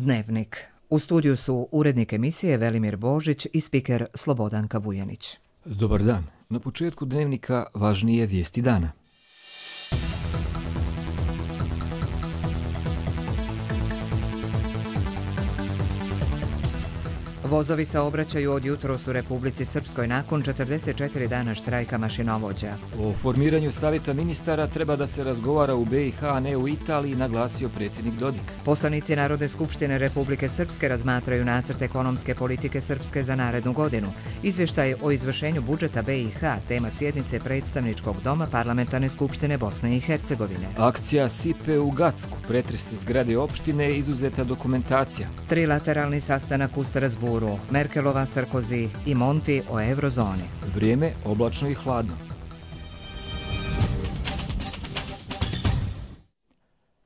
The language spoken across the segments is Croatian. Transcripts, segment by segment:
Dnevnik. U studiju su urednik emisije Velimir Božić i spiker Slobodanka Vujanić. Dobar dan. Na početku Dnevnika važnije vijesti dana. Vozovi saobraćaju od jutros u Republici Srpskoj nakon 44 dana štrajka mašinovođa. O formiranju savjeta ministara treba da se razgovara u BiH, a ne u Italiji, naglasio predsjednik Dodik. Poslanici Narodne skupštine Republike Srpske razmatraju nacrt ekonomske politike Srpske za narednu godinu. Izvještaj o izvršenju budžeta BiH, tema sjednice predstavničkog doma Parlamentarne skupštine Bosne i Hercegovine. Akcija Sipe u Gacku, pretres zgrade opštine, izuzeta dokumentacija. Trilateralni sastanak u Strasburu, Merkelova, Sarkozy i Monti o eurozoni. Vrijeme oblačno i hladno.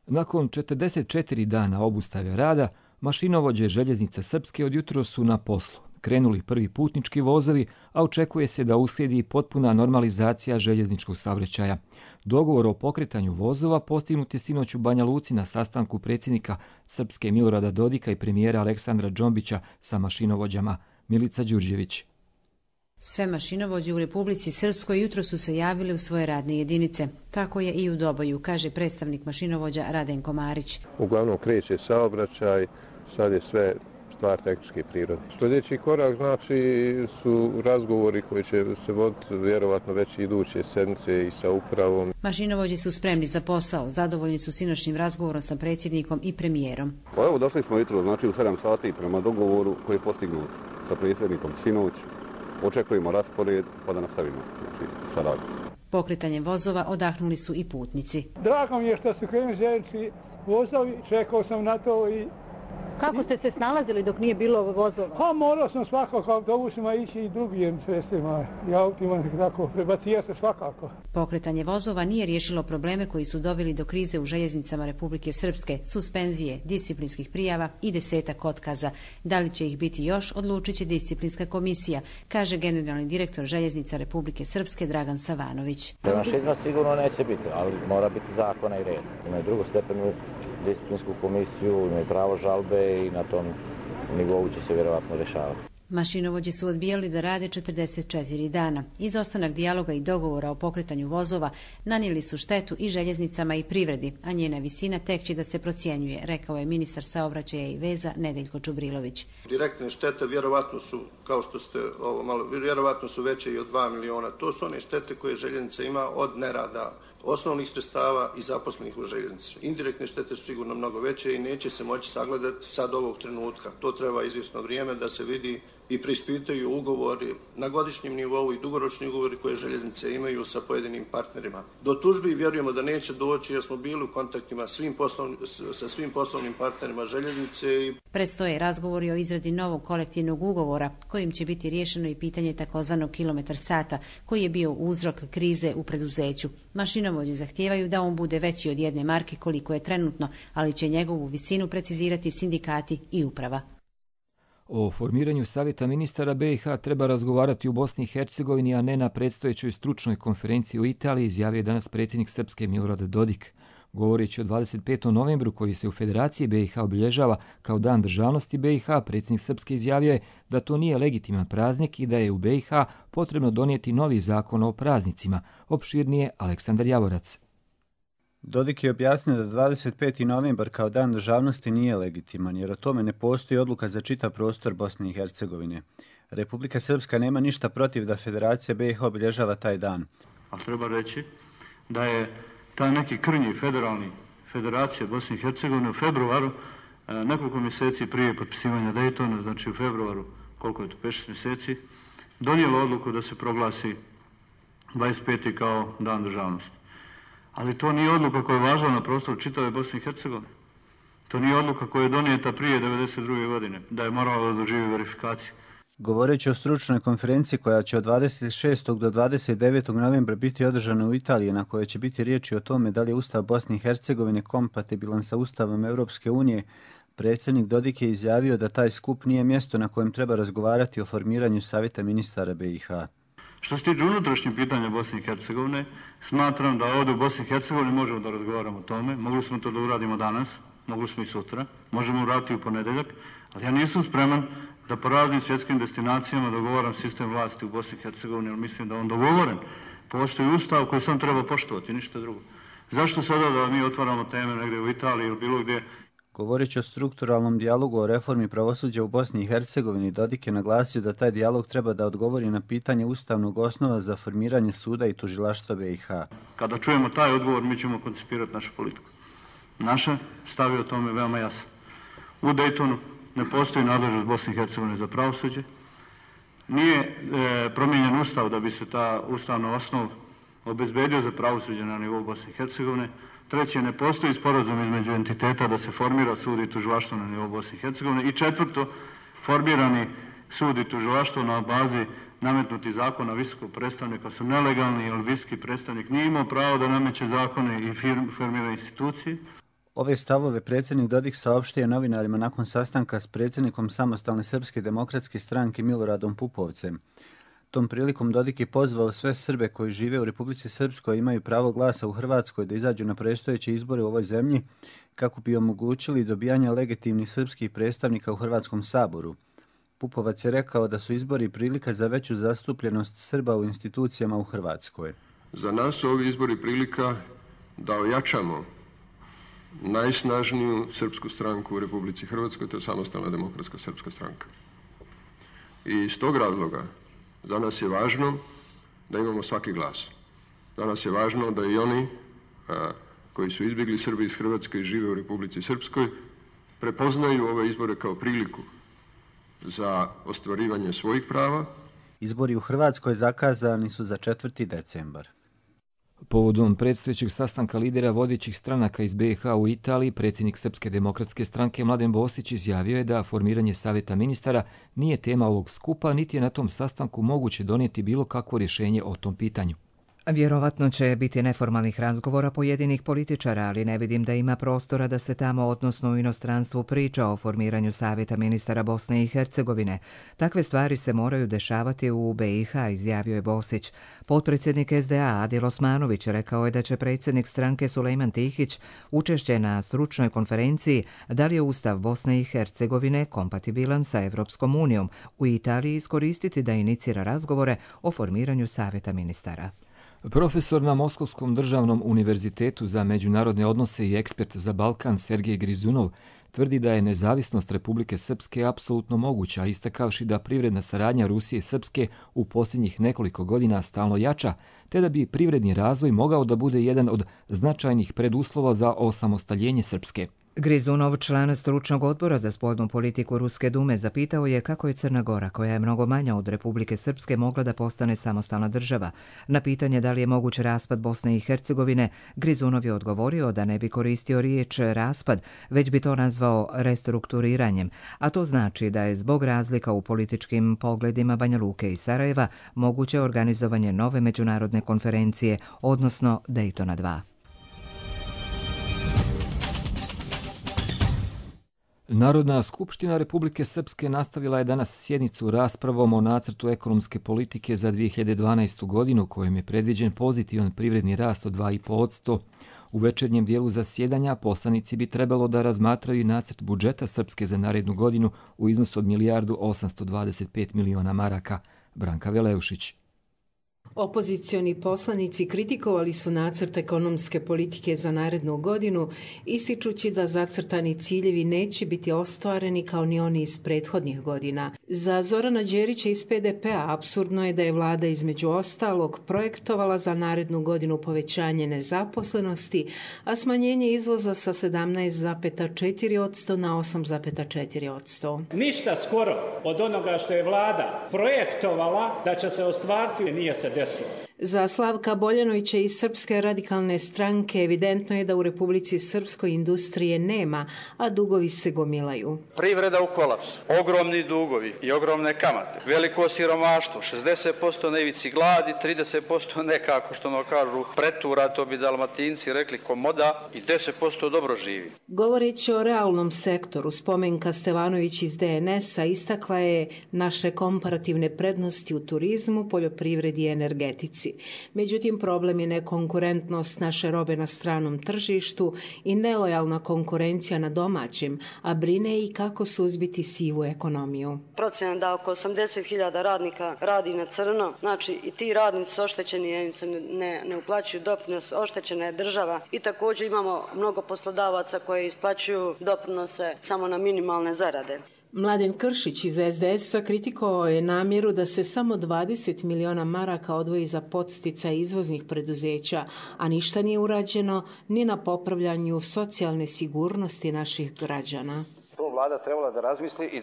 Nakon 44 dana obustave rada, mašinovođe željeznica Srpske od jutros su na poslu. Krenuli prvi putnički vozovi, a očekuje se da uslijedi potpuna normalizacija željezničkog saobraćaja. Dogovor o pokretanju vozova postignut je sinoć u Banja Luci na sastanku predsjednika Srpske Milorada Dodika i premijera Aleksandra Džombića sa mašinovođama. Milica Đurđević. Sve mašinovođe u Republici Srpskoj jutro su se javili u svoje radne jedinice. Tako je i u Doboju, kaže predstavnik mašinovođa Radenko Marić. Uglavnom kreće saobraćaj, sad je sve stvar tehničke prirode. Sljedeći korak su razgovori koji će se voditi vjerovatno već iduće sedmice i sa upravom. Mašinovođi su spremni za posao, zadovoljni su sinoćnim razgovorom sa predsjednikom i premijerom. Evo došli smo jutro, u 7 sati prema dogovoru koji je postignut sa predsjednikom sinoć. Očekujemo raspored pa da nastavimo sa radom. Pokretanjem vozova odahnuli su i putnici. Drago mi je što su krenuli željeznički vozovi, čekao sam na to i... Kako ste se snalazili dok nije bilo vozova? Pa morao sam svakako autobusima ići i drugim sredstvima i autima, tako prebacija se svakako. Pokretanje vozova nije riješilo probleme koji su doveli do krize u željeznicama Republike Srpske, suspenzije, disciplinskih prijava i 10 otkaza. Da li će ih biti još, odlučit će disciplinska komisija, kaže generalni direktor željeznica Republike Srpske Dragan Savanović. Revanšizma sigurno neće biti, ali mora biti zakona i red. Imaju drugostepenu disciplinsku komisiju, imaju pravo žalbe i na tom nivou će se vjerovatno rješavati. Mašinovođi su odbijali da rade 44 dana. Izostanak dijaloga i dogovora o pokretanju vozova nanijeli su štetu i željeznicama i privredi, a njena visina tek će da se procjenjuje, rekao je ministar saobraćaja i veza Nedeljko Čubrilović. Direktne štete vjerovatno su, kao što ste vjerovatno su veće i od 2 miliona. To su one štete koje željeznica ima od nerada osnovnih sredstava i zaposlenih u željeznici. Indirektne štete su sigurno mnogo veće i neće se moći sagledati sad ovog trenutka. To treba izvjesno vrijeme da se vidi i preispitaju ugovori na godišnjem nivou i dugoročni ugovori koje željeznice imaju sa pojedinim partnerima. Do tužbi vjerujemo da neće doći jer smo bili u kontaktima sa svim poslovnim partnerima željeznice. Predstoje razgovori o izradi novog kolektivnog ugovora kojim će biti riješeno i pitanje takozvanog kilometar sata koji je bio uzrok krize u preduzeću. Mašinovođi zahtijevaju da on bude veći od 1 marke koliko je trenutno, ali će njegovu visinu precizirati sindikati i uprava. O formiranju savjeta ministara BiH treba razgovarati u Bosni i Hercegovini, a ne na predstojećoj stručnoj konferenciji u Italiji, izjavio je danas predsjednik Srpske Milorad Dodik. Govoreći o 25. novembru koji se u Federaciji BiH obilježava kao Dan državnosti BiH, predsjednik Srpske izjavio je da to nije legitiman praznik i da je u BiH potrebno donijeti novi zakon o praznicima. Opširnije Aleksandar Javorac. Dodik je objasnio da 25. novembar kao Dan državnosti nije legitiman, jer o tome ne postoji odluka za čitav prostor Bosne i Hercegovine. Republika Srpska nema ništa protiv da Federacija BiH obilježava taj dan. A treba reći da je taj neki krnji federalni Federacije Bosne i Hercegovine u februaru, nekoliko mjeseci prije potpisivanja Daytona, znači u februaru, koliko je to, 5-6 mjeseci, donijelo odluku da se proglasi 25. kao Dan državnosti. Ali to nije odluka koja je važila na prostoru čitave Bosne i Hercegovine. To nije odluka koja je donijeta prije 1992. godine, da je moralo da doživi verifikaciju. Govoreći o stručnoj konferenciji koja će od 26. do 29. novembra biti održana u Italiji, na kojoj će biti riječi o tome da li je Ustav Bosne i Hercegovine kompatibilan sa Ustavom Europske unije, predsjednik Dodik je izjavio da taj skup nije mjesto na kojem treba razgovarati o formiranju savjeta ministara BiH. Što se tiče unutrašnjih pitanja Bosne i Hercegovine, smatram da ovdje u Bosni i Hercegovini možemo da razgovaramo o tome. Mogli smo to da uradimo danas. mogli smo i sutra, možemo uraditi u ponedjeljak, ali ja nisam spreman da po raznim svjetskim destinacijama dogovaram sistem vlasti u Bosni i Hercegovini, jer mislim da on dogovoren. Postoji ustav koji sam treba poštovati, ništa drugo. Zašto sada da mi otvaramo teme negdje u Italiji ili bilo gdje? Govoreći o strukturalnom dijalogu o reformi pravosuđa u Bosni i Hercegovini, Dodik je naglasio da taj dijalog treba da odgovori na pitanje ustavnog osnova za formiranje suda i tužilaštva BiH. Kada čujemo taj odgovor, mi ćemo koncipirati našu politiku. Naša stav je o tome veoma jasan. U Daytonu ne postoji nadležnost Bosne i Hercegovine za pravosuđe. Nije promijenjen ustav da bi se ta ustavna osnov obezbedio za pravosuđe na nivou Bosne i Hercegovine. Treće, ne postoji sporazum između entiteta da se formira sud i tužilaštvo na nivou Bosne i Hercegovine. I četvrto, formirani sud i tužilaštvo na bazi nametnuti zakona visokog predstavnika su nelegalni, jer visoki predstavnik nije imao pravo da nameće zakone i formira institucije. Ove stavove predsjednik Dodik saopštio novinarima nakon sastanka s predsjednikom Samostalne srpske demokratske stranke Miloradom Pupovcem. Tom prilikom Dodik je pozvao sve Srbe koji žive u Republici Srpskoj i imaju pravo glasa u Hrvatskoj da izađu na predstojeće izbore u ovoj zemlji kako bi omogućili dobijanje legitimnih srpskih predstavnika u Hrvatskom saboru. Pupovac je rekao da su izbori prilika za veću zastupljenost Srba u institucijama u Hrvatskoj. Za nas su ovi izbori prilika da ojačamo najsnažniju srpsku stranku u Republici Hrvatskoj, to je Samostalna demokratska srpska stranka. I iz tog razloga za nas je važno da imamo svaki glas. Za nas je važno da i oni koji su izbjegli Srbi iz Hrvatske i žive u Republici Srpskoj prepoznaju ove izbore kao priliku za ostvarivanje svojih prava. Izbori u Hrvatskoj zakazani su za 4. decembar. Povodom predstojećeg sastanka lidera vodećih stranaka iz BiH u Italiji, predsjednik Srpske demokratske stranke Mladen Bostić izjavio je da formiranje savjeta ministara nije tema ovog skupa, niti je na tom sastanku moguće donijeti bilo kakvo rješenje o tom pitanju. Vjerovatno će biti neformalnih razgovora pojedinih političara, ali ne vidim da ima prostora da se tamo, odnosno u inostranstvu, priča o formiranju savjeta ministara Bosne i Hercegovine. Takve stvari se moraju dešavati u BiH, izjavio je Bosić. Potpredsjednik SDA Adil Osmanović rekao je da će predsjednik stranke Sulejman Tihić učešće na stručnoj konferenciji da li je Ustav Bosne i Hercegovine kompatibilan sa Evropskom unijom u Italiji iskoristiti da inicira razgovore o formiranju savjeta ministara. Profesor na Moskovskom državnom univerzitetu za međunarodne odnose i ekspert za Balkan Sergej Grizunov tvrdi da je nezavisnost Republike Srpske apsolutno moguća, istakavši da privredna saradnja Rusije i Srpske u posljednjih nekoliko godina stalno jača, te da bi privredni razvoj mogao da bude jedan od značajnih preduslova za osamostaljenje Srpske. Grizunov, član stručnog odbora za spoljnu politiku Ruske dume, zapitao je kako je Crna Gora, koja je mnogo manja od Republike Srpske, mogla da postane samostalna država. Na pitanje da li je moguć raspad Bosne i Hercegovine, Grizunov je odgovorio da ne bi koristio riječ raspad, već bi to nazvao restrukturiranjem, a to znači da je zbog razlika u političkim pogledima Banja Luke i Sarajeva moguće organizovanje nove međunarodne konferencije, odnosno Daytona 2. Narodna skupština Republike Srpske nastavila je danas sjednicu raspravom o nacrtu ekonomske politike za 2012. godinu, kojim je predviđen pozitivan privredni rast od 2,5%. U večernjem dijelu zasjedanja poslanici bi trebalo da razmatraju nacrt budžeta Srpske za narednu godinu u iznosu od 1.825 miliona maraka. Branka Veleušić. Opozicioni poslanici kritikovali su nacrt ekonomske politike za narednu godinu, ističući da zacrtani ciljevi neće biti ostvareni kao ni oni iz prethodnih godina. Za Zorana Đerića iz PDP-a apsurdno je da je vlada između ostalog projektovala za narednu godinu povećanje nezaposlenosti, a smanjenje izvoza sa 17,4% na 8,4%. Ništa skoro od onoga što je vlada projektovala da će se ostvariti nije se desilo. Za Slavka Boljanovića iz Srpske radikalne stranke evidentno je da u Republici Srpskoj industrije nema, a dugovi se gomilaju. Privreda u kolapsu, ogromni dugovi i ogromne kamate, veliko siromaštvo, 60% na ivici gladi, 30% nekako što ono kažu pretura, to bi Dalmatinci rekli komoda, i 10% dobro živi. Govoreći o realnom sektoru, Spomenka Stevanović iz DNS-a istakla je naše komparativne prednosti u turizmu, poljoprivredi i energetici. Americi. Međutim, problem je nekonkurentnost naše robe na stranom tržištu i nelojalna konkurencija na domaćem, a brine i kako suzbiti sivu ekonomiju. Procena da oko 80.000 radnika radi na crno, znači i ti radnici su oštećeni jer im se ne uplaćuju doprinos, oštećena je država i također imamo mnogo poslodavaca koji isplaćuju doprinose samo na minimalne zarade. Mladen Kršić iz SDS-a kritikovao je namjeru da se samo 20 miliona maraka odvoji za podsticaj izvoznih preduzeća, a ništa nije urađeno ni na popravljanju socijalne sigurnosti naših građana. Vlada trebala da razmisli i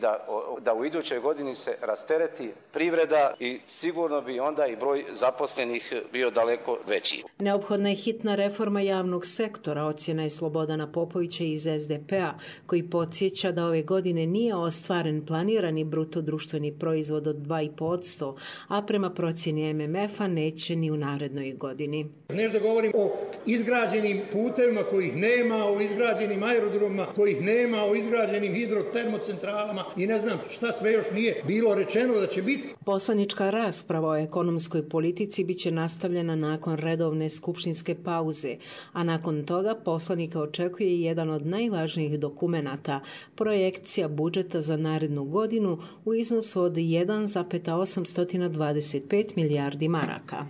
da u idućoj godini se rastereti privreda i sigurno bi onda i broj zaposlenih bio daleko veći. Neophodna je hitna reforma javnog sektora, ocjena je Slobodana Popovića iz SDP-a, koji podsjeća da ove godine nije ostvaren planirani bruto društveni proizvod od 2,5%, a prema procjeni MMF-a neće ni u narednoj godini. Nešto govorim o izgrađenim putevima kojih nema, o izgrađenim aerodromima kojih nema, o izgrađenim hidrotermocentralama i ne znam šta sve još nije bilo rečeno da će biti. Poslanička rasprava o ekonomskoj politici biće nastavljena nakon redovne skupštinske pauze, a nakon toga poslanika očekuje jedan od najvažnijih dokumenata, projekcija budžeta za narednu godinu u iznosu od 1,825 milijardi maraka.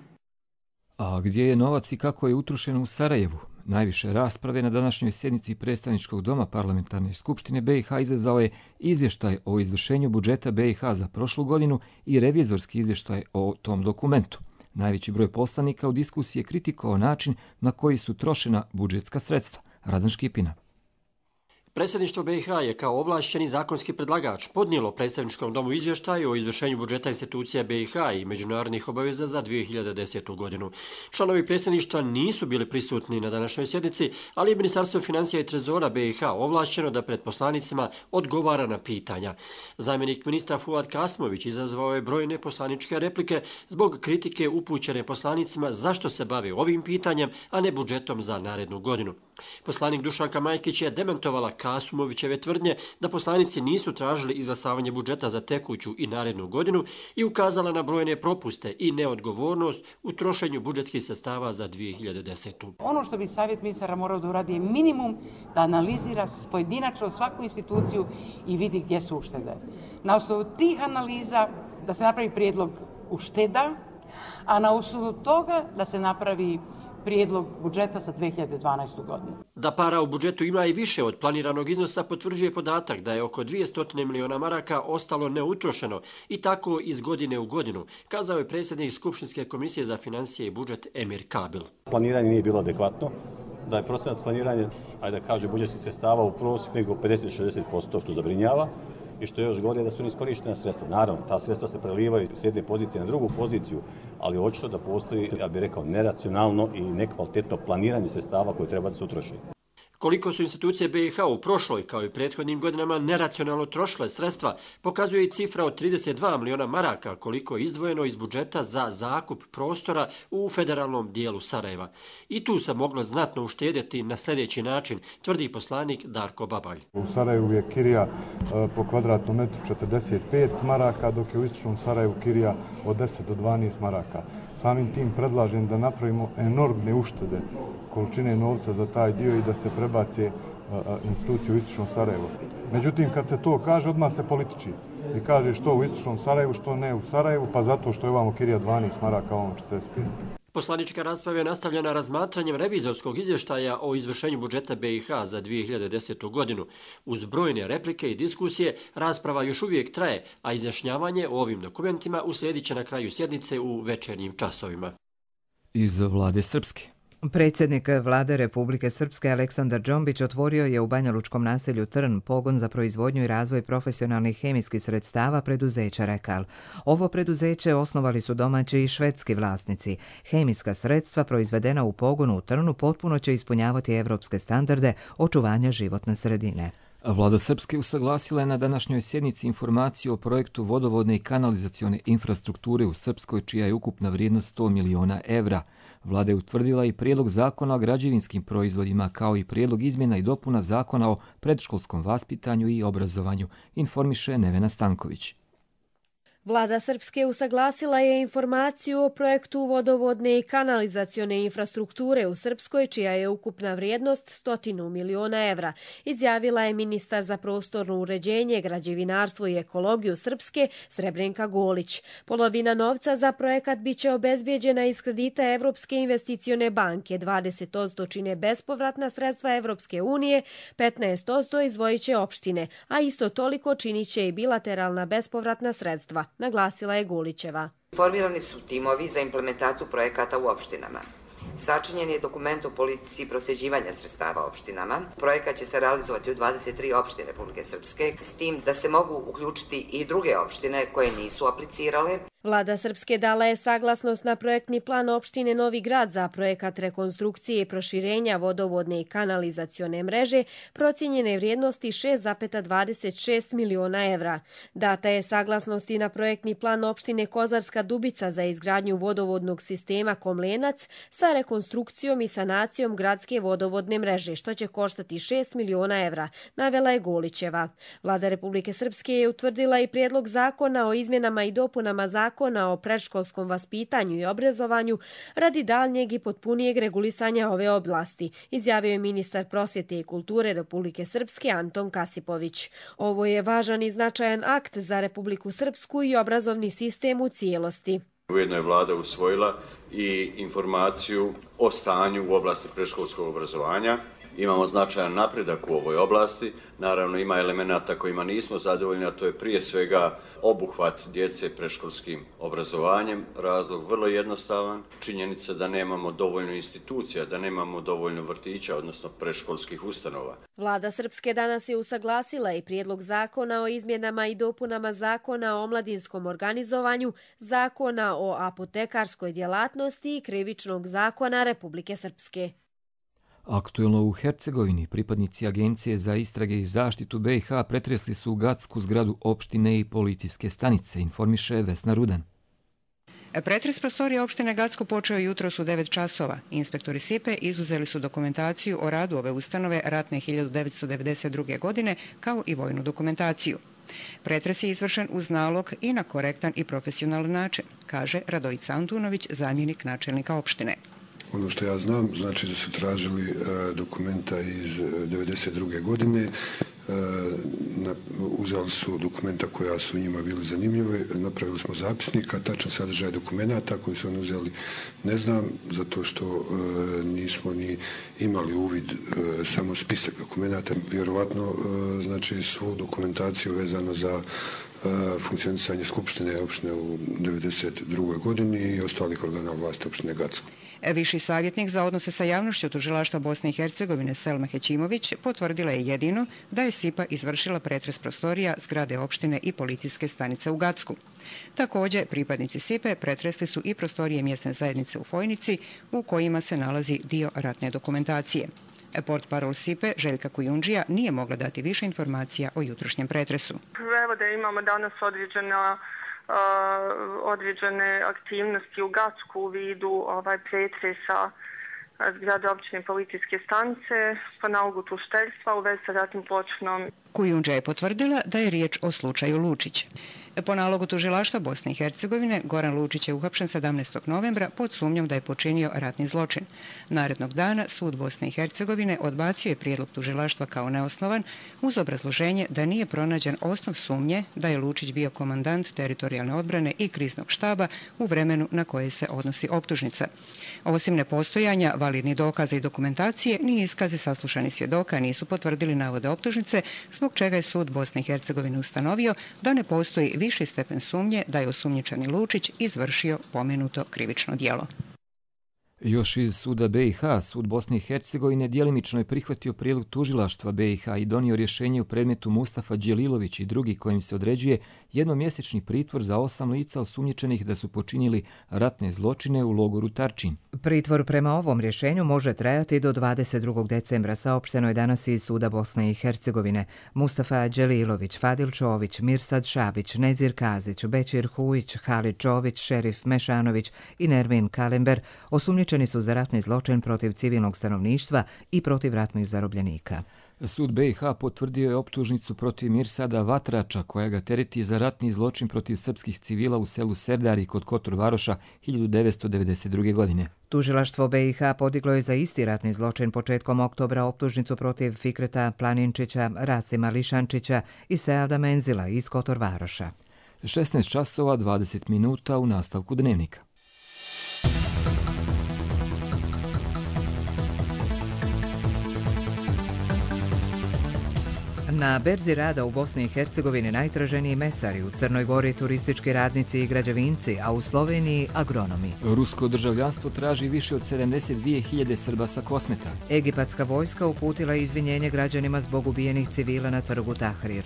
A gdje je novac i kako je utrošen u Sarajevu? Najviše rasprave na današnjoj sjednici Predstavničkog doma Parlamentarne skupštine BiH izazvao je izvještaj o izvršenju budžeta BiH za prošlu godinu i revizorski izvještaj o tom dokumentu. Najveći broj poslanika u diskusiji je kritikovao način na koji su trošena budžetska sredstva. Radan Škipina. Predsjedništvo BiH je kao ovlašćeni zakonski predlagač podnijelo Predstavničkom domu izvještaj o izvršenju budžeta institucija BiH i međunarodnih obaveza za 2010. godinu. Članovi predsjedništva nisu bili prisutni na današnjoj sjednici, ali je Ministarstvo financija i trezora BiH ovlašćeno da pred poslanicima odgovara na pitanja. Zamjenik ministra Fuad Kasmović izazvao je brojne poslaničke replike zbog kritike upućene poslanicima zašto se bave ovim pitanjem, a ne budžetom za narednu godinu. Poslanik Dušanka Majkić je demantovala Kasumovićeve tvrdnje da poslanici nisu tražili izglasavanje budžeta za tekuću i narednu godinu i ukazala na brojne propuste i neodgovornost u trošenju budžetskih sredstava za 2010. Ono što bi savjet ministara morao da uradi je minimum da analizira pojedinačno svaku instituciju i vidi gdje su uštede. Na osnovu tih analiza da se napravi prijedlog ušteda, a na osnovu toga da se napravi prijedlog budžeta za 2012. godinu. Da para u budžetu ima i više od planiranog iznosa potvrđuje podatak da je oko 200 miliona maraka ostalo neutrošeno i tako iz godine u godinu, kazao je predsjednik Skupštinske komisije za financije i budžet Emir Kabil. Planiranje nije bilo adekvatno, da je procenat planiranja, ajde da kaže, budžetskih sredstava u prosjeku nego 50-60%, što zabrinjava. I što je još gore da su neiskorištena sredstva. Naravno, ta sredstva se prelivaju s jedne pozicije na drugu poziciju, ali očito da postoji, ja bih rekao, neracionalno i nekvalitetno planiranje sredstava koje treba da se utroši. Koliko su institucije BiH u prošloj, kao i prethodnim godinama, neracionalno trošile sredstva, pokazuje i cifra od 32 miliona maraka koliko je izdvojeno iz budžeta za zakup prostora u federalnom dijelu Sarajeva. I tu se moglo znatno uštedjeti na sljedeći način, tvrdi poslanik Darko Babalj. U Sarajevu je kirija po kvadratnom metru 45 maraka, dok je u istočnom Sarajevu kirija od 10 do 12 maraka. Samim tim predlažem da napravimo enormne uštede količine novca za taj dio i da se prebace institucije u istočnom Sarajevu. Međutim, kad se to kaže, odmah se političi. I kaže što u istočnom Sarajevu, što ne u Sarajevu, pa zato što je ovamo kirija 12 maraka, ovamo 45. Poslanička rasprava je nastavljena razmatranjem revizorskog izvještaja o izvršenju budžeta BiH za 2010. godinu. Uz brojne replike i diskusije, rasprava još uvijek traje, a izjašnjavanje o ovim dokumentima uslijedit će na kraju sjednice u večernjim časovima. Iz vlade Srpske. Predsjednik vlade Republike Srpske Aleksandar Džombić otvorio je u banjalučkom naselju Trn pogon za proizvodnju i razvoj profesionalnih hemijskih sredstava preduzeća Rekal. Ovo preduzeće osnovali su domaći i švedski vlasnici. Hemijska sredstva proizvedena u pogonu u Trnu potpuno će ispunjavati evropske standarde očuvanja životne sredine. Vlada Srpske usaglasila je na današnjoj sjednici informaciju o projektu vodovodne i kanalizacione infrastrukture u Srpskoj, čija je ukupna vrijednost 100 miliona evra. Vlada je utvrdila i prijedlog zakona o građevinskim proizvodima, kao i prijedlog izmjena i dopuna zakona o predškolskom vaspitanju i obrazovanju, informiše Nevena Stanković. Vlada Srpske usaglasila je informaciju o projektu vodovodne i kanalizacione infrastrukture u Srpskoj, čija je ukupna vrijednost 100 miliona evra, izjavila je ministar za prostorno uređenje, građevinarstvo i ekologiju Srpske Srebrenka Golić. Polovina novca za projekat biće obezbijeđena iz kredita Evropske investicione banke, 20% čine bespovratna sredstva Evropske unije, 15% izdvojit će opštine, a isto toliko činit će i bilateralna bespovratna sredstva, naglasila je Gulićeva. Formirani su timovi za implementaciju projekata u opštinama. Sačinjen je dokument o politici prosljeđivanja sredstava opštinama. Projekat će se realizovati u 23 opštine Republike Srpske, s tim da se mogu uključiti i druge opštine koje nisu aplicirale. Vlada Srpske dala je saglasnost na projektni plan opštine Novi Grad za projekat rekonstrukcije i proširenja vodovodne i kanalizacione mreže procijenjene vrijednosti 6,26 miliona evra. Data je saglasnost i na projektni plan opštine Kozarska Dubica za izgradnju vodovodnog sistema Komlenac sa rekonstrukcijom i sanacijom gradske vodovodne mreže, što će koštati 6 miliona evra, navela je Golićeva. Vlada Republike Srpske je utvrdila i prijedlog zakona o izmjenama i dopunama zakona o predškolskom vaspitanju i obrazovanju radi daljnjeg i potpunijeg regulisanja ove oblasti, izjavio je ministar prosvjete i kulture Republike Srpske Anton Kasipović. Ovo je važan i značajan akt za Republiku Srpsku i obrazovni sistem u cijelosti. Ujedno je vlada usvojila i informaciju o stanju u oblasti predškolskog obrazovanja. Imamo značajan napredak u ovoj oblasti. Naravno, ima elemenata kojima nismo zadovoljni, a to je prije svega obuhvat djece predškolskim obrazovanjem. Razlog vrlo jednostavan. Činjenica da nemamo dovoljno institucija, da nemamo dovoljno vrtića, odnosno predškolskih ustanova. Vlada Srpske danas je usaglasila i prijedlog zakona o izmjenama i dopunama zakona o omladinskom organizovanju, zakona o apotekarskoj djelatnosti i krivičnog zakona Republike Srpske. Aktuelno u Hercegovini pripadnici Agencije za istrage i zaštitu BiH pretresli su Gatsku zgradu opštine i policijske stanice, informiše Vesna Rudan. Pretres prostorije opštine Gacko počeo jutros u 9 časova. Inspektori SIPE izuzeli su dokumentaciju o radu ove ustanove ratne 1992. godine kao i vojnu dokumentaciju. Pretres je izvršen uz nalog i na korektan i profesionalan način, kaže Radojica Antunović, zamjenik načelnika opštine. Ono što ja znam, znači da su tražili dokumenta iz 1992. godine, uzeli su dokumenta koja su njima bili zanimljive, napravili smo zapisnik, a tačan sadržaj dokumenta koji su oni uzeli ne znam, zato što nismo ni imali uvid samo spisak dokumenta. Vjerovatno znači svu dokumentaciju vezano za funkcionisanje Skupštine opštine u 1992. godini i ostalih organa vlasti opštine Gacko. Viši savjetnik za odnose sa javnošću tužilaštva Bosne i Hercegovine Selma Hećimović potvrdila je jedino da je SIPA izvršila pretres prostorija zgrade opštine i policijske stanice u Gacku. Također, pripadnici SIPE pretresli su i prostorije mjesne zajednice u Fojnici u kojima se nalazi dio ratne dokumentacije. Portparol SIPE Željka Kujundžija nije mogla dati više informacija o jutrošnjem pretresu. Evo da imamo danas određene aktivnosti u Gacku u vidu pretresa zgrade općine policijske stanice po nalogu tužiteljstva u vezi sa ratnim zločinom. Kujundža je potvrdila da je riječ o slučaju Lučić. Po nalogu tužilaštva Bosne i Hercegovine, Goran Lučić je uhapšen 17. novembra pod sumnjom da je počinio ratni zločin. Narednog dana sud Bosne i Hercegovine odbacio je prijedlog tužilaštva kao neosnovan uz obrazloženje da nije pronađen osnov sumnje da je Lučić bio komandant teritorijalne odbrane i kriznog štaba u vremenu na koje se odnosi optužnica. Osim nepostojanja validnih dokaza i dokumentacije, ni iskazi saslušanih svjedoka nisu potvrdili navode optužnice, zbog čega je sud Bosne i Hercegovine ustanovio da ne postoji viši stepen sumnje da je osumnjičeni Lučić izvršio pomenuto krivično djelo. Još iz suda BiH, sud Bosne i Hercegovine djelimično je prihvatio prijedlog tužilaštva BiH i donio rješenje u predmetu Mustafa Đelilović i drugi kojim se određuje jednomjesečni pritvor za 8 lica osumnjičenih da su počinili ratne zločine u logoru Tarčin. Pritvor prema ovom rješenju može trajati do 22. decembra, saopšteno je danas iz suda Bosne i Hercegovine. Mustafa Đelilović, Fadil Čović, Mirsad Šabić, Nezir Kazić, Bećir Hujić, Halid Čović, Šerif Mešanović i Nermin Kalember osumnjičeni su za ratni zločin protiv civilnog stanovništva i protiv ratnih zarobljenika. Sud BiH potvrdio je optužnicu protiv Mirsada Vatrača, koja ga tereti za ratni zločin protiv srpskih civila u selu Serdari kod Kotor Varoša 1992. godine. Tužilaštvo BiH podiglo je za isti ratni zločin početkom oktobra optužnicu protiv Fikreta Planinčića, Rasima Lišančića i Seada Menzila iz Kotor Varoša. 16 časova 20 minuta u nastavku dnevnika. Na berzi rada u Bosni i Hercegovini najtraženiji mesari, u Crnoj Gori turistički radnici i građevinci, a u Sloveniji agronomi. Rusko državljanstvo traži više od 72.000 Srba sa Kosmeta. Egipatska vojska uputila izvinjenje građanima zbog ubijenih civila na trgu Tahrir.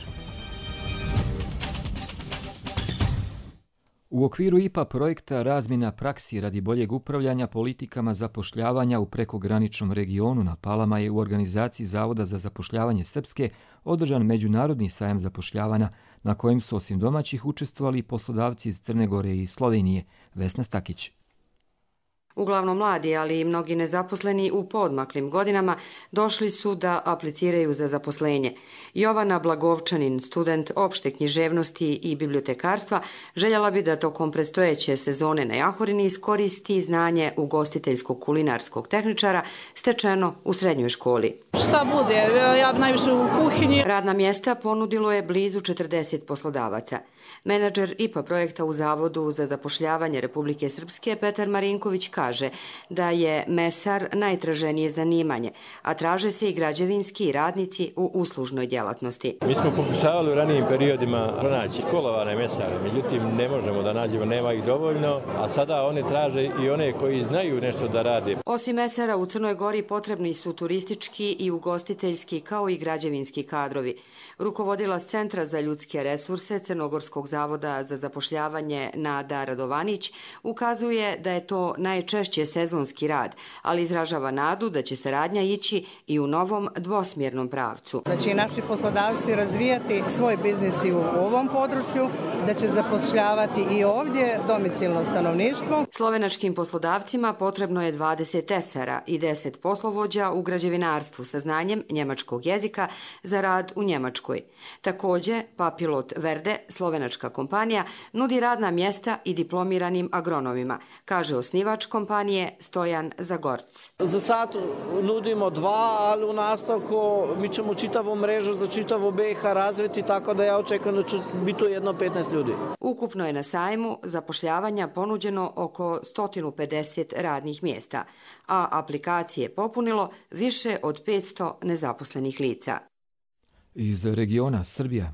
U okviru IPA projekta Razmjena praksi radi boljeg upravljanja politikama zapošljavanja u prekograničnom regionu na Palama je u organizaciji Zavoda za zapošljavanje Srpske održan međunarodni sajam zapošljavanja na kojem su osim domaćih učestvovali poslodavci iz Crne Gore i Slovenije. Vesna Stakić. Uglavnom mladi, ali i mnogi nezaposleni u poodmaklim godinama došli su da apliciraju za zaposlenje. Jovana Blagovčanin, student opšte književnosti i bibliotekarstva, željela bi da tokom predstojeće sezone na Jahorini iskoristi znanje ugostiteljskog kulinarskog tehničara stečeno u srednjoj školi. Šta bude? Ja najviše u kuhinji. Radna mjesta ponudilo je blizu 40 poslodavaca. Menadžer IPA projekta u Zavodu za zapošljavanje Republike Srpske Petar Marinković kaže da je mesar najtraženije zanimanje, a traže se i građevinski radnici u uslužnoj djelatnosti. Mi smo pokušavali u ranijim periodima pronaći školovane mesare, međutim ne možemo da nađemo, nema ih dovoljno, a sada one traže i one koji znaju nešto da rade. Osim mesara u Crnoj Gori potrebni su turistički i ugostiteljski kao i građevinski kadrovi. Rukovodilac Centra za ljudske resurse Crnogorskog zavoda za zapošljavanje Nada Radovanić ukazuje da je to najčešće sezonski rad, ali izražava nadu da će saradnja ići i u novom dvosmjernom pravcu. Da će i naši poslodavci razvijati svoj biznis i u ovom području, da će zapošljavati i ovdje domicilno stanovništvo. Slovenačkim poslodavcima potrebno je 20 tesara i 10 poslovođa u građevinarstvu sa znanjem njemačkog jezika za rad u Njemačkoj. Također, Papilot Verde, slovenačka kompanija, nudi radna mjesta i diplomiranim agronomima, kaže osnivač kompanije Stojan Zagorc. Za sad nudimo 2, ali u nastavku mi ćemo čitavu mrežu za čitavu BiH razviti, tako da ja očekujem da će biti jedno 15 ljudi. Ukupno je na sajmu zapošljavanja ponuđeno oko 150 radnih mjesta, a aplikacije popunilo više od 500 nezaposlenih lica. Iz regiona Srbija.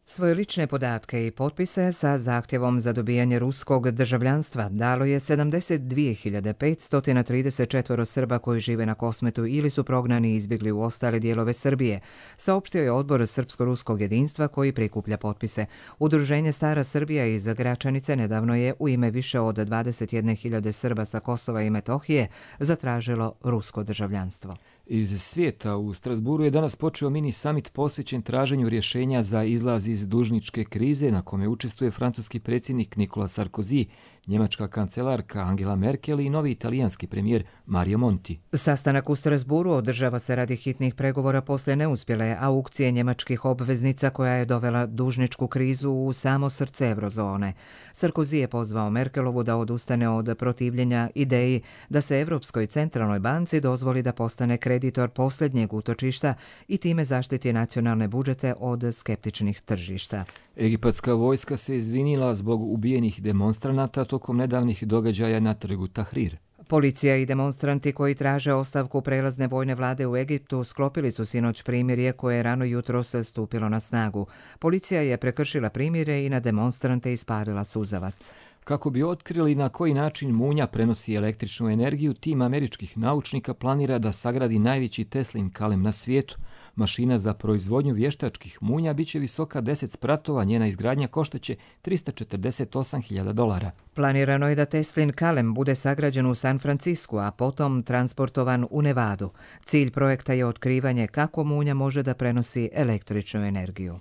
Svoje lične podatke i potpise sa zahtjevom za dobijanje ruskog državljanstva dalo je 72.534 Srba koji žive na Kosmetu ili su prognani i izbjegli u ostale dijelove Srbije, saopštio je odbor Srpsko-ruskog jedinstva koji prikuplja potpise. Udruženje Stara Srbija iz Gračanice nedavno je u ime više od 21.000 Srba sa Kosova i Metohije zatražilo rusko državljanstvo. Iz svijeta u Strasburu je danas počeo mini summit posvećen traženju rješenja za izlaz iz dužničke krize na kome učestvuje francuski predsjednik Nicolas Sarkozy, njemačka kancelarka Angela Merkel i novi italijanski premijer Mario Monti. Sastanak u Strasburu održava se radi hitnih pregovora posle neuspjele aukcije njemačkih obveznica koja je dovela dužničku krizu u samo srce eurozone. Sarkozy je pozvao Merkelovu da odustane od protivljenja ideji da se Europskoj centralnoj banci dozvoli da postane kreditor posljednjeg utočišta i time zaštiti nacionalne budžete od skeptičnih tržišta. Egipatska vojska se izvinila zbog ubijenih demonstranata tokom nedavnih događaja na trgu Tahrir. Policija i demonstranti koji traže ostavku prelazne vojne vlade u Egiptu sklopili su sinoć primirje koje je rano jutros stupilo na snagu. Policija je prekršila primirje i na demonstrante ispalila suzavac. Kako bi otkrili na koji način munja prenosi električnu energiju, tim američkih naučnika planira da sagradi najveći Teslin kalem na svijetu. Mašina za proizvodnju vještačkih munja biće visoka 10 spratova, njena izgradnja koštaće $348.000. Planirano je da Teslin kalem bude sagrađen u San Francisku, a potom transportovan u Nevadu. Cilj projekta je otkrivanje kako munja može da prenosi električnu energiju.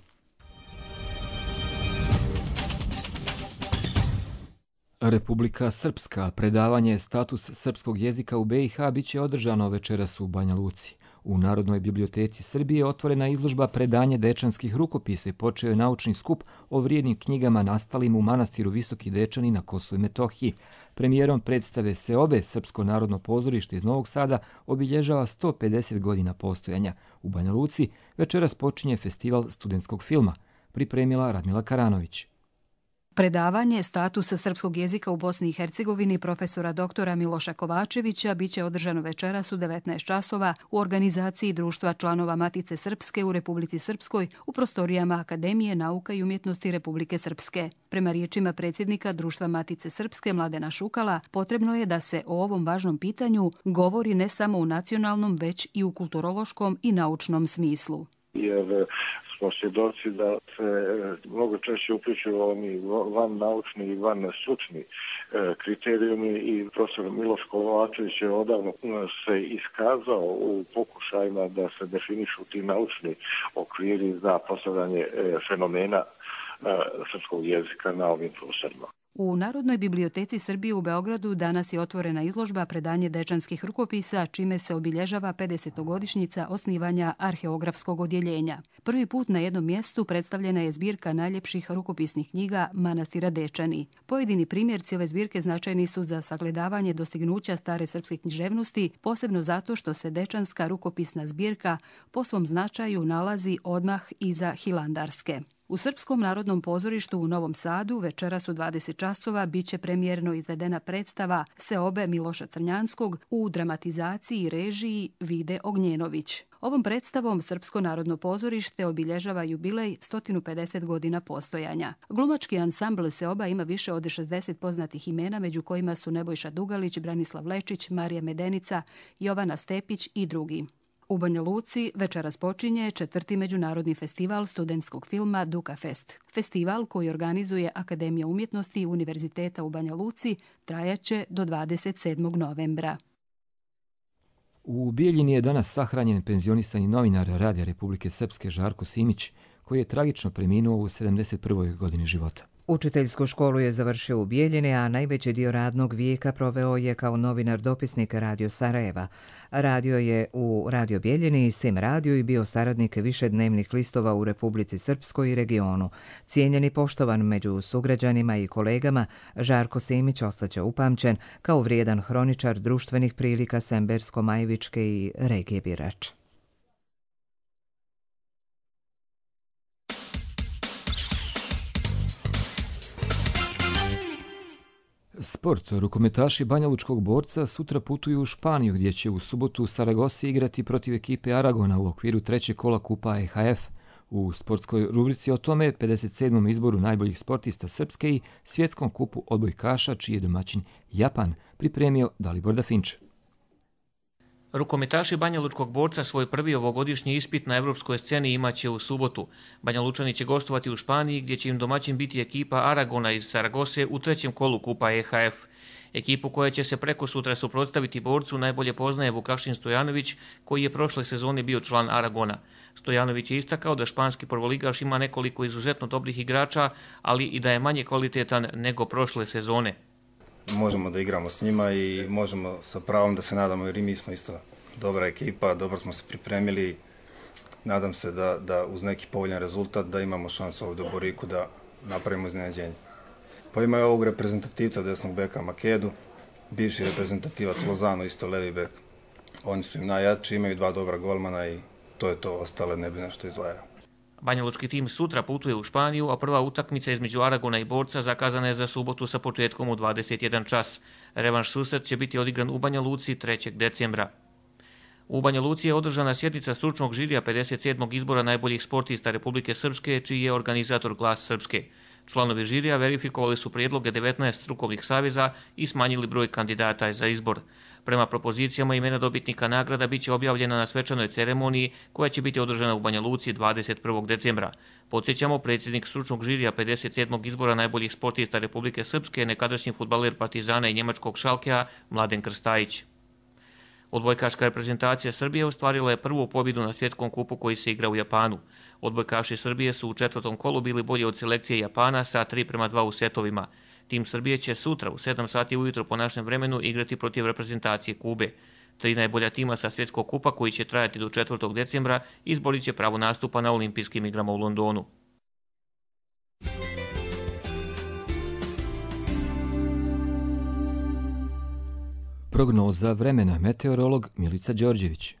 Republika Srpska, predavanje status srpskog jezika u BiH biće održano večeras u Banja Luci. U Narodnoj biblioteci Srbije otvorena izložba predanje dečanskih rukopisa i počeo je naučni skup o vrijednim knjigama nastalim u manastiru Visoki Dečani na Kosovu i Metohiji. Premijerom predstave Seobe Srpsko narodno pozorište iz Novog Sada obilježava 150 godina postojanja. U Banja Luci večeras počinje festival studentskog filma. Pripremila Radmila Karanović. Predavanje statusa srpskog jezika u Bosni i Hercegovini profesora doktora Miloša Kovačevića biće održano večeras u 19 časova u organizaciji Društva članova Matice Srpske u Republici Srpskoj u prostorijama Akademije nauka i umjetnosti Republike Srpske. Prema riječima predsjednika Društva Matice Srpske Mladena Šukala, potrebno je da se o ovom važnom pitanju govori ne samo u nacionalnom, već i u kulturološkom i naučnom smislu. Jer smo svjedoci da se mnogo češće uključuju oni van naučni i van stručni kriterijumi i profesor Miloš Kovačević je odavno se iskazao u pokušajima da se definišu ti naučni okviri za postavljanje fenomena srpskog jezika na ovim prostorima. U Narodnoj biblioteci Srbije u Beogradu danas je otvorena izložba predanje dečanskih rukopisa, čime se obilježava 50-godišnjica osnivanja arheografskog odjeljenja. Prvi put na jednom mjestu predstavljena je zbirka najljepših rukopisnih knjiga Manastira Dečani. Pojedini primjerci ove zbirke značajni su za sagledavanje dostignuća stare srpske književnosti, posebno zato što se dečanska rukopisna zbirka po svom značaju nalazi odmah iza hilandarske. U Srpskom narodnom pozorištu u Novom Sadu večeras u 20 časova biće premijerno izvedena predstava Seobe Miloša Crnjanskog u dramatizaciji i režiji Vide Ognjenović. Ovom predstavom Srpsko narodno pozorište obilježava jubilej 150 godina postojanja. Glumački ansambl Seoba ima više od 60 poznatih imena, među kojima su Nebojša Dugalić, Branislav Lečić, Marija Medenica, Jovana Stepić i drugi. U Banja Luci večeras počinje 4. međunarodni festival studentskog filma Duka Fest. Festival koji organizuje Akademija umjetnosti Univerziteta u Banja Luci trajaće do 27. novembra. U Bijeljini je danas sahranjen penzionisani novinar Radija Republike Srpske Žarko Simić, koji je tragično preminuo u 71. godini života. Učiteljsku školu je završio u Bijeljini, a najveći dio radnog vijeka proveo je kao novinar dopisnik Radio Sarajeva. Radio je u Radio Bijeljini i Sim Radio i bio saradnik višednevnih listova u Republici Srpskoj i regionu. Cijenjen i poštovan među sugrađanima i kolegama, Žarko Simić ostaće upamćen kao vrijedan hroničar društvenih prilika Sembersko-Majvičke i regije Birač. Sport. Rukometaši banjalučkog Borca sutra putuju u Španiju, gdje će u subotu u Saragosi igrati protiv ekipe Aragona u okviru trećeg kola Kupa EHF. U sportskoj rubrici o tome 57. izboru najboljih sportista Srpske i svjetskom kupu odbojkaša, čiji je domaćin Japan, pripremio Dalibor Dafinč. Rukometaši Banjalučkog Borca svoj prvi ovogodišnji ispit na evropskoj sceni imaće u subotu. Banjalučani će gostovati u Španiji, gdje će im domaćin biti ekipa Aragona iz Saragose u trećem kolu Kupa EHF. Ekipu koja će se preko sutra suprotstaviti Borcu najbolje poznaje Vukašin Stojanović, koji je prošle sezone bio član Aragona. Stojanović je istakao da španski prvoligaš ima nekoliko izuzetno dobrih igrača, ali i da je manje kvalitetan nego prošle sezone. Možemo da igramo s njima i možemo sa pravom da se nadamo, jer i mi smo isto dobra ekipa, dobro smo se pripremili. Nadam se da uz neki povoljan rezultat da imamo šansu ovdje u Boriku da napravimo iznenađenje. Pa ima je ovog reprezentativca desnog beka Makedu, bivši reprezentativac Lozano, isto levi bek. Oni su im najjači, imaju dva dobra golmana i to je to, ostale ne bi nešto izdvajao. Banjalučki tim sutra putuje u Španiju, a prva utakmica između Aragona i Borca zakazana je za subotu sa početkom u 21 čas. Revanš susret će biti odigran u Banja Luci 3. decembra. U Banja Luci je održana sjednica stručnog žirija 57. izbora najboljih sportista Republike Srpske, čiji je organizator Glas Srpske. Članovi žirija verifikovali su prijedloge 19 strukovnih saveza i smanjili broj kandidata za izbor. Prema propozicijama imena dobitnika nagrada biće objavljena na svečanoj ceremoniji koja će biti održana u Banja Luci 21. decembra. Podsjećamo, predsjednik stručnog žirija 57. izbora najboljih sportista Republike Srpske, nekadašnji fudbaler Partizana i njemačkog Šalkea, Mladen Krstajić. Odbojkaška reprezentacija Srbije ostvarila je prvu pobjedu na svjetskom kupu koji se igra u Japanu. Odbojkaši Srbije su u 4. kolu bili bolji od selekcije Japana sa 3:2 u setovima. Tim Srbije će sutra u 7 sati ujutro po našem vremenu igrati protiv reprezentacije Kube. 3 najbolja tima sa svjetskog kupa koji će trajati do 4. decembra izborit će pravo nastupa na olimpijskim igrama u Londonu. Prognoza vremena, meteorolog Milica Đorđević.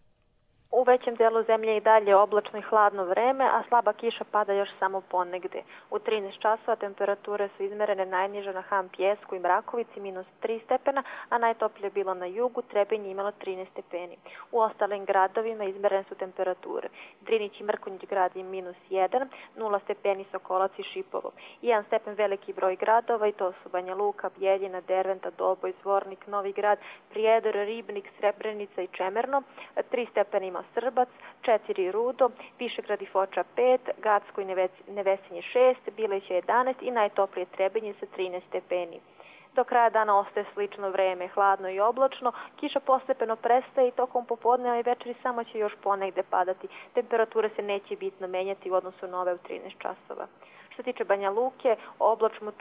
U većem delu zemlje i dalje oblačno i hladno vreme, a slaba kiša pada još samo ponegde. U 13 časova temperature su izmerene najniže na Ham Pjesku i Mrakovici -3 stepena, a najtoplije bilo na jugu, Trebinje imalo 13 stepeni. U ostalim gradovima izmerene su temperature. Drinić i Mrkonjić grad je -1, 0 stepeni Sokolac i Šipovo. 1 stepen veliki broj gradova i to su Banja Luka, Bjeljina, Derventa, Doboj, Zvornik, Novi Grad, Prijedor, Ribnik, Srebrenica i Čemerno. 3 stepena ima Srbac, 4 Rudo, Višegrad i Foča 5, Gacko i Nevesinje 6, Bileće 11 i najtoplije Trebinje sa 13 stepeni. Do kraja dana ostaje slično vreme, hladno i oblačno, kiša postepeno prestaje i tokom popodneva i večeri samo će još ponegde padati. Temperature se neće bitno menjati u odnosu na ove u 13 časova. Što se tiče Banja Luke,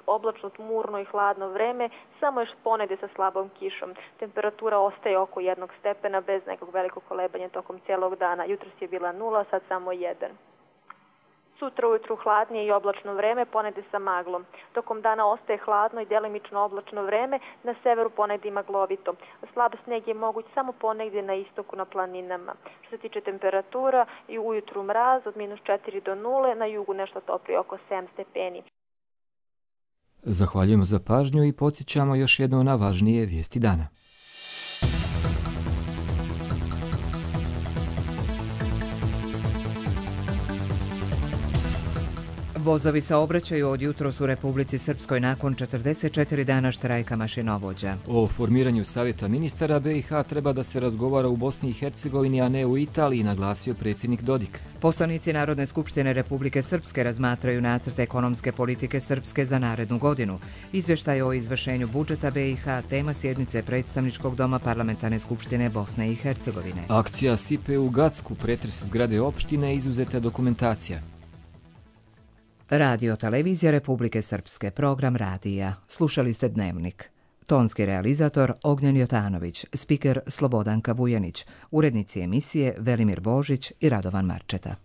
oblačno, tmurno i hladno vreme, samo još ponegde sa slabom kišom. Temperatura ostaje oko 1 stepena bez nekog velikog kolebanja tokom cijelog dana. Jutros je bila 0, sad samo 1. Sutra ujutru hladnije i oblačno vreme, ponegde sa maglom. Tokom dana ostaje hladno i delimično oblačno vreme, na severu ponegde maglovito. Slab sneg je moguć samo ponegde na istoku na planinama. Što se tiče temperatura, i ujutru mraz od -4 do 0, na jugu nešto toplije oko 7 stepeni. Zahvaljujemo za pažnju i podsjećamo još jedno na važnije vijesti dana. Vozovi saobraćaju od jutros u Republici Srpskoj nakon 44 dana štrajka mašinovođa. O formiranju Savjeta ministara BiH treba da se razgovara u Bosni i Hercegovini, a ne u Italiji, naglasio predsjednik Dodik. Poslanici Narodne skupštine Republike Srpske razmatraju nacrt ekonomske politike Srpske za narednu godinu. Izvještaj o izvršenju budžeta BiH tema sjednice predstavničkog doma Parlamentarne skupštine Bosne i Hercegovine. Akcija Sipe u Gacku, pretres zgrade opštine, izuzeta dokumentacija. Radio Televizija Republike Srpske, program radija. Slušali ste Dnevnik. Tonski realizator Ognjen Jotanović, spiker Slobodanka Vujanić, urednici emisije Velimir Božić i Radovan Marčeta.